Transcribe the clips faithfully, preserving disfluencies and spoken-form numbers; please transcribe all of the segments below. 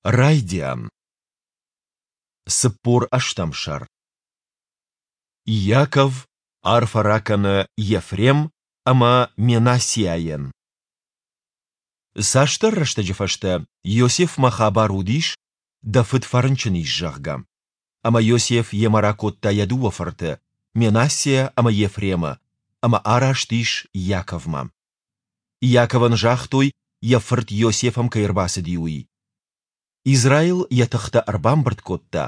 Райдиан. Цыппор ӕстӕм сӕр. Иаков арфӕ ракӕны Ефрем ӕмӕ Менассиайӕн. Цасдӕр рӕстӕджы фӕстӕ Иосифмӕ хабар уыдис, дӕ фыд фӕрынчын ис, зӕгъгӕ. Ӕмӕ Иосиф йемӕ ракодта йӕ дыууӕ фырты, Менассиа ӕмӕ Ефремы, ӕмӕ араст ис Иаковмӕ. Иаковӕн загътой, йӕ фырт Иосиф ӕм кӕй ӕрбацыди, уый. Израил йӕ тыхтӕ ӕрбамбырд кодта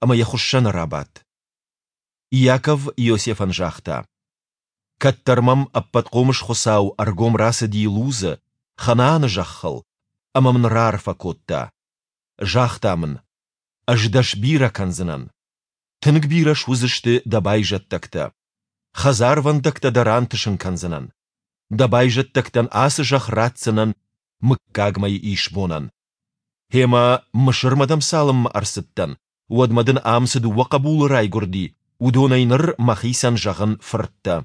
ӕмӕ йӕ хуыссӕны рабадт. Иаков Иосифӕн загъта: Кӕддӕр мӕм Ӕппӕтхъомыс Хуыцау ӕргом рацыди Лузы, Ханааны зӕххыл, ӕмӕ мын раарфӕ кодта. Загъта мын: Ӕз дӕ сбирӕ кӕндзынӕн. Тынг бирӕ суыдзысты дӕ байзӕддӕгтӕ. Хӕдзарвӕндӕгтӕ дӕ рантысын кӕндзынӕн. Дӕ байзӕддӕгтӕн ацы зӕхх ратдзынӕн мыггагмӕйы исбонӕн. Гъемӕ Мысырмӕ дӕм цалынмӕ ӕрцыдтӕн, уӕдмӕ дын ам цы дыууӕ хъӕбулы райгуырди, уыдонӕй ныр мӕхицӕн зӕгъын фырттӕ.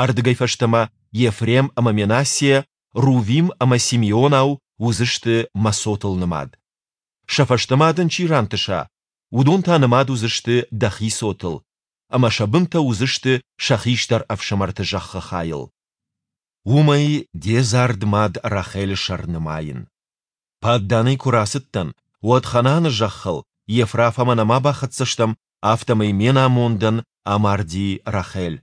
Ардыгӕй фӕстӕмӕ Ефрем ӕмӕ Менассиа, Рувим ӕмӕ Симеонау уыдзысты мӕ цотыл нымад. Сӕ фӕстӕ ма дын чи рантыса, уыдон та нымад уыдзысты дӕхи цотыл, ӕмӕ сӕ бынтӕ уыдзысты сӕ хистӕр ӕфсымӕрты зӕххы хайыл. Уымӕй де дзард мад Рахелы сӕр нымайын. Падданӕй куы рацыдтӕн, уӕд Ханааны зӕххыл, Ефрафӕмӕ нӕма бахӕццӕ стӕм, афтӕмӕй ме намондӕн амарди Рахел.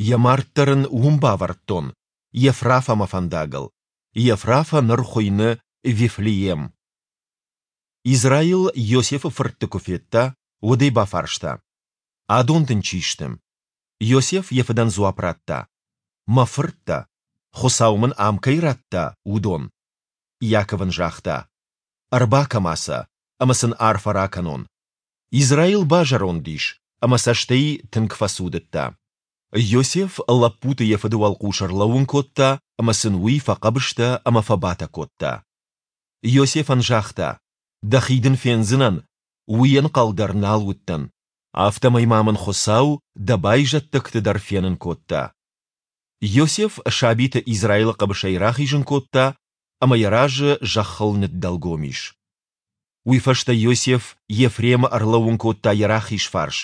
Йӕ мард дӕр ын уым бавӕрдтон, Ефрафӕмӕ фӕндагыл. Ефрафӕ ныр хуыйны Вифлеем. Израил Иосифы фыртты куы федта, уӕд ӕй бафарста: Адон дын чи сты? Иосиф йӕ фыдӕн дзуапп радта: Мӕ фырттӕ, Хуыцау мын ам кӕй радта, уыдон. Иаков ын загъта: Ӕрбакӕ-ма сӕ, ӕмӕ сын арфӕ ракӕнон. Израил базӕронд ис ӕмӕ цӕстӕй тынг фӕцудыдта. Иосиф лӕппуты йӕ фыды уӕлхъус ӕрлӕууын кодта ӕмӕ сын уый фӕхъӕбыстӕ ӕмӕ фӕбатӕ кодта. Иосифӕн загъта: Дӕхи дын фендзынӕн, уый ӕнхъӕл дӕр нал уыдтӕн. Афтӕмӕй ма мын Хуыцау дӕ байзӕддӕгты дӕр фенын кодта. Иосиф сабиты Израилы хъӕбысӕй рахизын кодта ӕмӕ йӕ разы зӕххыл ныддӕлгом ис. Уый фӕстӕ Иосиф Ефремы ӕрлӕууын кодта йӕ рахиз фарс,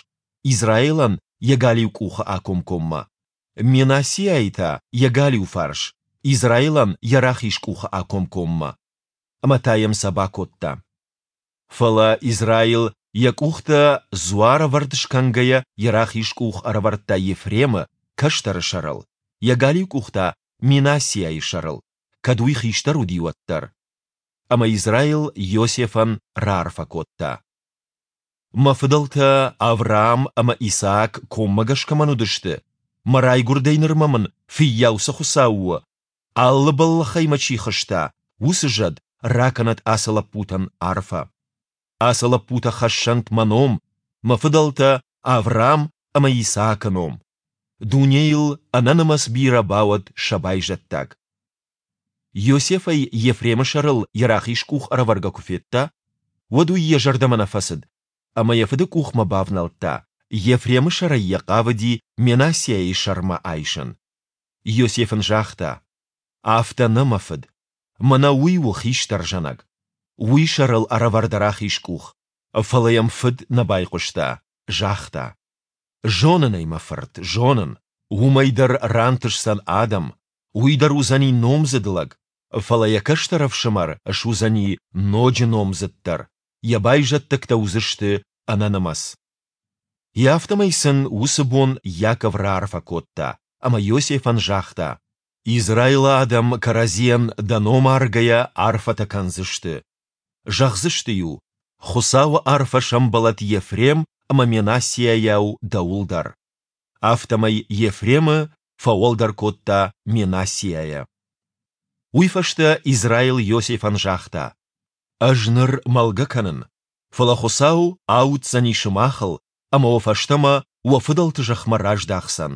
Израилӕн йӕ галиу къухы акомкоммӕ, Менассиайы та йӕ галиу фарс, Израилӕн йӕ рахиз къухы акомкоммӕ. Ӕмӕ та йӕм сӕ бакодта. Фӕлӕ Израил йӕ къухтӕ дзуарӕвӕрд скӕнгӕйӕ йӕ рахиз къух ӕрӕвӕрдта Ефремы, кӕстӕры сӕрыл, йӕ галиу къух та Менассиайы сӕрыл, кӕд уый хистӕр уыди, уӕддӕр. Ӕмӕ Израил Иосифӕн раарфӕ кодта: Мӕ фыдӕлтӕ Авраам ӕмӕ Исаак коммӕгӕс кӕмӕн уыдысты, мӕ райгуырдӕй нырмӕ мын фыййау цы Хуыцау у, алы бӕллӕхӕй мӕ чи хызта, уыцы зӕд ракӕнӕд ацы лӕппутӕн арфӕ. Ацы лӕппутӕ хӕссӕнт мӕ ном, мӕ фыдӕлтӕ Авраам ӕмӕ Исаакы ном. Дунейыл ӕнӕнымӕц бирӕ бауӕд сӕ байзӕддаг. Иосиф ӕй Ефремы сӕрыл йӕ рахиз къух ӕрӕвӕргӕ куы федта, уӕд уый йӕ зӕрдӕмӕ нӕ фӕцыд ӕмӕ йӕ фыды къухмӕ бавнӕлдта, Ефремы сӕрӕй йӕ хъавыди Менассиайы сӕрмӕ айсын. Иосиф ын загъта: Афтӕ нӕ, мӕ фыд. Мӕнӕ уый у хистӕр зӕнӕг. Уый сӕрыл ӕрӕвӕр дӕ рахиз къух. Фӕлӕ йӕм фыд нӕ байхъуыста, загъта: Зонын ӕй, мӕ фырт, зонын. Уымӕй дӕр рантысдзӕн адӕм, уый дӕр уыдзӕни номдзыд лӕг, фӕлӕ йӕ кӕстӕр ӕфсымӕр суыдзӕни ноджы номдзыддӕр, йӕ байзӕддӕгтӕ уыдзысты ӕнӕнымӕц. Йе афтӕмӕй сын уыцы бон Иаков раарфӕ кодта ӕмӕ Иосифӕн загъта: Израилы адӕм кӕрӕдзийӕн дӕ ном аргӕйӕ арфӕтӕ кӕндзысты. Зӕгъдзысты-иу: Хуыцауы арфӕ сӕмбӕлӕд Ефрем ӕмӕ Менассиайау дӕуыл дӕр. Афтӕмӕй Ефремы фӕуӕлдӕр кодта Менассиайӕ. Уый фӕстӕ Израил Иосифӕн загъта: Ӕз ныр мӕлгӕ кӕнын, фӕлӕ Хуыцау ауддзӕни сымахыл ӕмӕ уӕ фӕстӕмӕ уӕ фыдӕлты зӕхмӕ раздахдзӕн.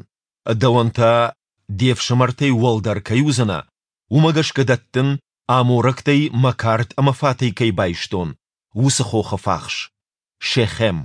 Дӕуӕн та, де фсымӕртӕй уӕлдӕр кӕй уыдзынӕ, уымӕ гӕсгӕ дӕттын, аморӕгтӕй мӕ кард ӕмӕ фатӕй кӕй байстон, уыцы хохы фахс, Шехем.